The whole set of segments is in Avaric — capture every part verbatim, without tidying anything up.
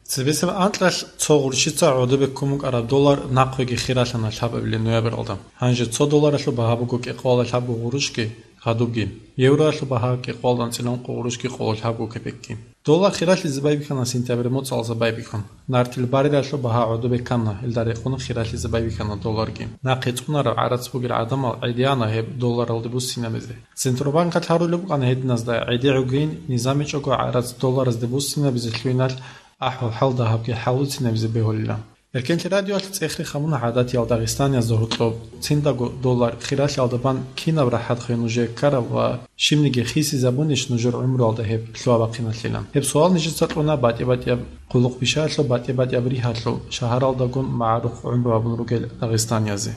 Цебесеб анкьалъ цо гъурщица гӀодобе ккун букӀараб доллар нахъеги хиралъана лъабабилеб ноябралда. Гьанже цо долларалъул багьа буго кӀикъоялда лъабго гъурущги гъадубги, евроялъул багьа кӀикъоялда анцӀила ункъо гъурущги къоло лъабго кепекги. Доллар хиралъизе байбихьана сентябрь моцӀалда байбихьун. Нартил баррелалъул багьа гӀодобе ккана, гьелда рекъон хиралъизе байбихьана долларги. Нахъе цӀунараб гӀарац бугел гӀадамал гӀедегӀана гьеб долларалде буссинабизе. Центробанкалъ гьарулеб букӀана гьединазда гӀедегӀугейин, низамичӀого гӀарац долларалде буссинабизе лъугьиналъ ахӀвал-хӀал дагьабги хӀалуцинабизе бегьулила. Эркенлъи радиоялъ цӀехе рехун буго гӀадатиял дагъистаниязда гьоркьоб, циндаго доллар хиралъиялда бан кинаб рахӀат хвей нужее ккараб ва щибниги хисизабунищ нужер гӀумруялда гьеб лъугьа-бахъиналъилан? Гьеб суал нижеца кьуна батӀи-батӀияб хъулухъ-бишаялъул, батӀи-батӀияб ригьалъул, шагьаралдагун магӀарухъ гӀумру гьабун ругел дагъистаниязе.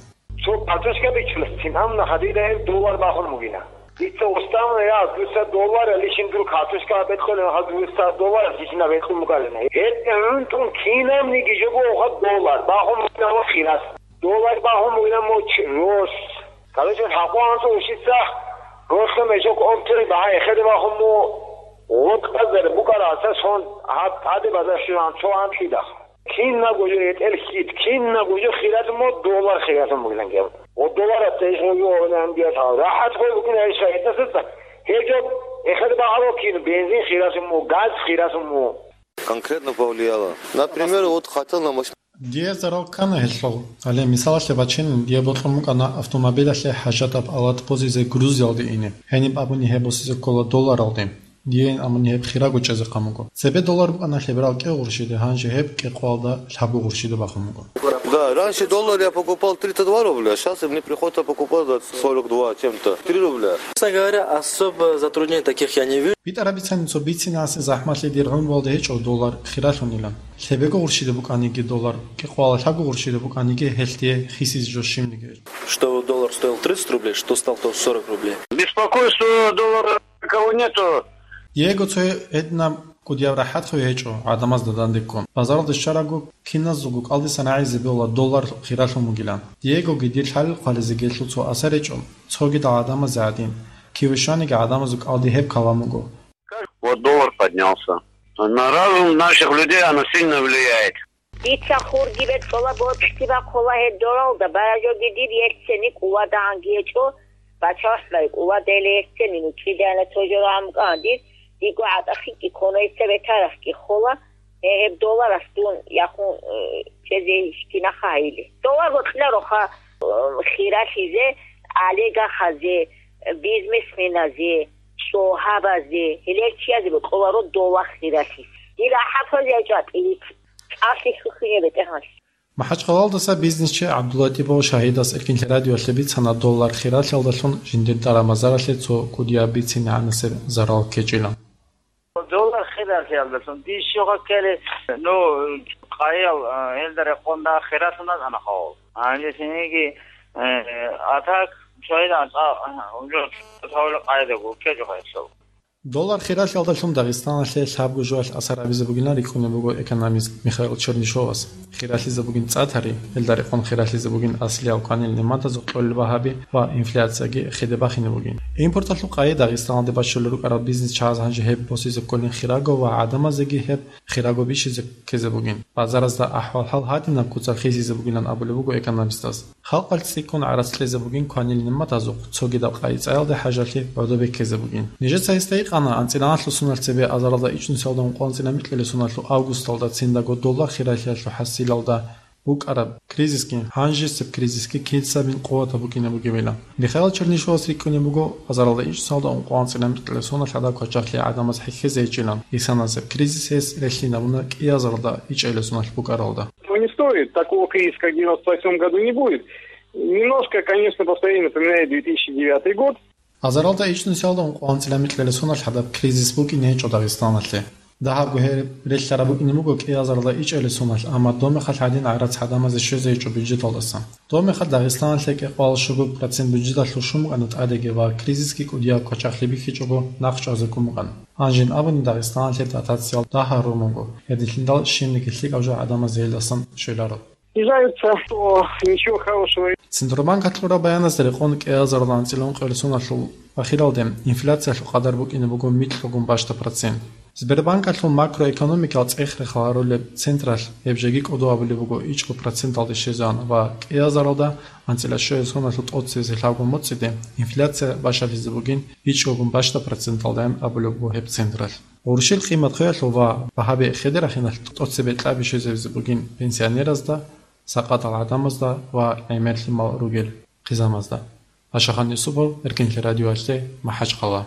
Цо картошка бичӀчӀулеб, кинаб нахъа дида гьеб доллар бахун бугила. Дица уставна я, дуца доллар, лишин дур картошка бекьулев, гьаб дуца доллар лишин бекьун бугилан. Гьеб гӀунтун кинабниги жого гьаб доллар бахун бугилан ва хирас. Доллар бахун бугилан моч рос. Короче, хӀакъу анцӀу ушица росла мешок обтери багьа эхеде бахун му гъотӀазар букӀараса сон гьаб тӀаде базар щуран цо анлъидахъ. Кинабго жо гьетӀел хьид, кинабго жо хиралъун мугӀ, доллар хиралъун бугилан гьеб. Ва долларасда иш гьуги гьавилан диялъ рахӀат хвей букӀина иш гьетӀасда. Гьеб жо эхеде багьа кин, бензин хиралъун мугӀ, газ хиралъун мугӀ. Конкретно повлияло. Например, вот хотел на машину. Дие зарал ккана гьелъул. Гьале мисалалъе бачинин, дие бокьун букӀана автомобилалъе хӀажатаб алат босизе Грузиялде ине. Гьениб абуни гьеб босизе ккола долларалде. Дие ин абуни гьеб хираб гьечӀезе къан буго. Цебе доллар букӀана лъеберал кӀиго гъурщиде, гьанже гьеб кӀикъоялда лъабго гъурщиде бахун буго. Да, раньше доллар я покупал тридцать два рубля, а щас мне приходится покупать за сорок два чем-то. Три рубля. Честно говоря, особо затруднений таких я не вижу. БитӀараб бицани, цо бицинасе захӀмалъи дир гӀумруялда гьечӀо доллар хиралъунилан. Лъебего гъурщиде букӀаниги доллар, кӀикъоялда лъабго гъурщиде букӀаниги гьелъ дие хисизе жо щибниги. Что доллар стоил тридцать рублей, что стал то сорок рублей. Беспокойство доллара кого нету. Диего цо гьединаб кӀудияб рахӀат хвей гьечӀо гӀадамазда данде ккун. Базаралде щварабго, киназулго кӀалдисан рагӀизе бегьула доллар хиралъун бугилан. Диегоги дир лъалел хъвализе гьелъул цо асар гьечӀо, цогидал гӀадамазе гӀадин, киве щваниги гӀадамазул кӀалди гьеб калам буго. Вот доллар поднялся. На разум наших людей оно сильно влияет. Дица хурги бекьула, бокьги бахъула гьеб долларалда, баражоги дир еццени кӀуладагӀанги гьечӀо, бачалъ бай кӀуладайила еццени, ну, кидайна цо жо рагӀун букӀана дир, диго гӀатӀахъинги ккола, еццаб бетарахъги хола, гье, гьеб долларас дун яхун, э, чӀезе кинаха гьайили. Доллар бокьилароха, э, хиралъизе, олигархазе, бизнесменазе, цӀогьабазе, гьелел чиязе бокьуларо доллар хиралъизе. Дир ахӀатазе гьечӀо тӀилит. ЦӀалъи хьухьине бетӀергьанлъи. МахӀачхъалаялдаса бизнесчи ГӀабдуллатӀипов Шагьидас Эркинлъи радиоялъе бицана доллар хиралъиялдалъун жиндир тӀара-мазаралъе цо кӀудияб бицин гӀанасеб зарал ккечӀилан. Доллар хиралъиялдалъун дир щугъа ккеле, ну, къайял, а, гьелда рекъонда хиралъуна ана хавал. Гьанже цинги, э, атак, цойда анцӀа, а, уже цо-, цо-, къайдаго ккечӀо гьелъул. Доллар хиралъиялдалъун Дагъистаналъе лъабго жоялъ асар гьабизе бугилан рикӀкӀунеб буго экономист Михаил Чернышовас. Хиралъизе бугин цӀа-тари, гьелда рекъон хиралъизе бугин аслиял кванил нигӀматазул кьолел багьаби ва инфляцияги хеде бахине бугин. Импорталъул къайи Дагъистаналде бачулел рукӀарал бизнесчияз гьанже гьеб босизе кколин хираго ва гӀадамазеги гьеб хираго бищизе ккезе бугин. Базаразда ахӀвал-хӀал гьадинаб куцалъ хисизе бугилан абулеб буго экономистас. Халкъалъ цӀикӀкӀун гӀарац кьезе бугин кванил нигӀматазухъ, цогидаб къайи цӀаялде хӀажалъи гӀодобе ккезе бугин. Нижеца гьесда гьикъана анцӀила анлъго соналъ цебе азаралда ичӀнусиялда ункъо анцӀила микьила соналъул августалда циндаго доллар хиралъиялъул хӀасилалда букӀараб кризисги, гьанжесеб кризисги кица бин къуватаб букӀине бугебилан. Михаил Чернышовас рикӀкӀунеб буго, азаралда ичӀнусиялда ункъо анцӀила микьила соналъ гьадаб квачахъалъе гӀадамаз хӀехьезе гьечӀилан. Исанасеб кризис гьес релълъинабуна кӀиазаралда ичӀнусиялда соналъ букӀаралда. Его не стоит. Такого кризиса, как в девяносто восьмом году, не будет. Немножко, конечно, по своей напоминает две тысячи девятый год. Азаралда ичӀнусиялда ункъо анцӀила микьила соналъ гьадаб кризис букӀине гьечӀо Дагъистаналъе. Дагьабго гьеб релълъараб букӀине буго кӀиазаралда ичӀнусиялда соналъ, амма доб мехалъ гьадин гӀарац гӀадамазе щвезе гьечӀо бюджеталдасан. Доб мехалъ Дагъистаналъе кӀикъоялда щуго процент бюджеталъул щун букӀана тӀадеги ва кризисги кӀудияб квачахъалъи бихьичӀого нахъ чӀвазе ккун букӀана. Гьанжин абуни Дагъистаналъе дотациял дагь гьарун буго, гьединлъидал щибниги лъикӀаб жо гӀадамазе гьелдасан щвеларо. Снижаются, то ничего хорошего. Центробанкалъ кьураб баяназда рекъон кӀиазаралда анцӀила ункъоялда соналъул ахиралде инфляциялъул къадар букӀине буго микьгун бащда процент. Сбербанкалъул макроэкономикал цӀех-рехал гьарулеб централъ гьеб жеги кӀодо абулеб буго ичӀго проценталде щвезегӀан ва кӀиазаралда анцӀила щуязда соналъул тӀоцебесеб лъабго моцӀиде инфляция бащалъизе бугин ичӀгогун бащда проценталдайин абулеб буго гьеб централъ. Гъурущил къимат хвеялъул ва багьаби хеде рахиналъ тӀоцебе кьаби щвезабизе бугин пенсионеразда, сакъатал гӀадамазда ва гӀемер лъимал ругел хъизамазда. Пашахан Юсупов, Эркинлъи радиоялъе, МахӀачхъала.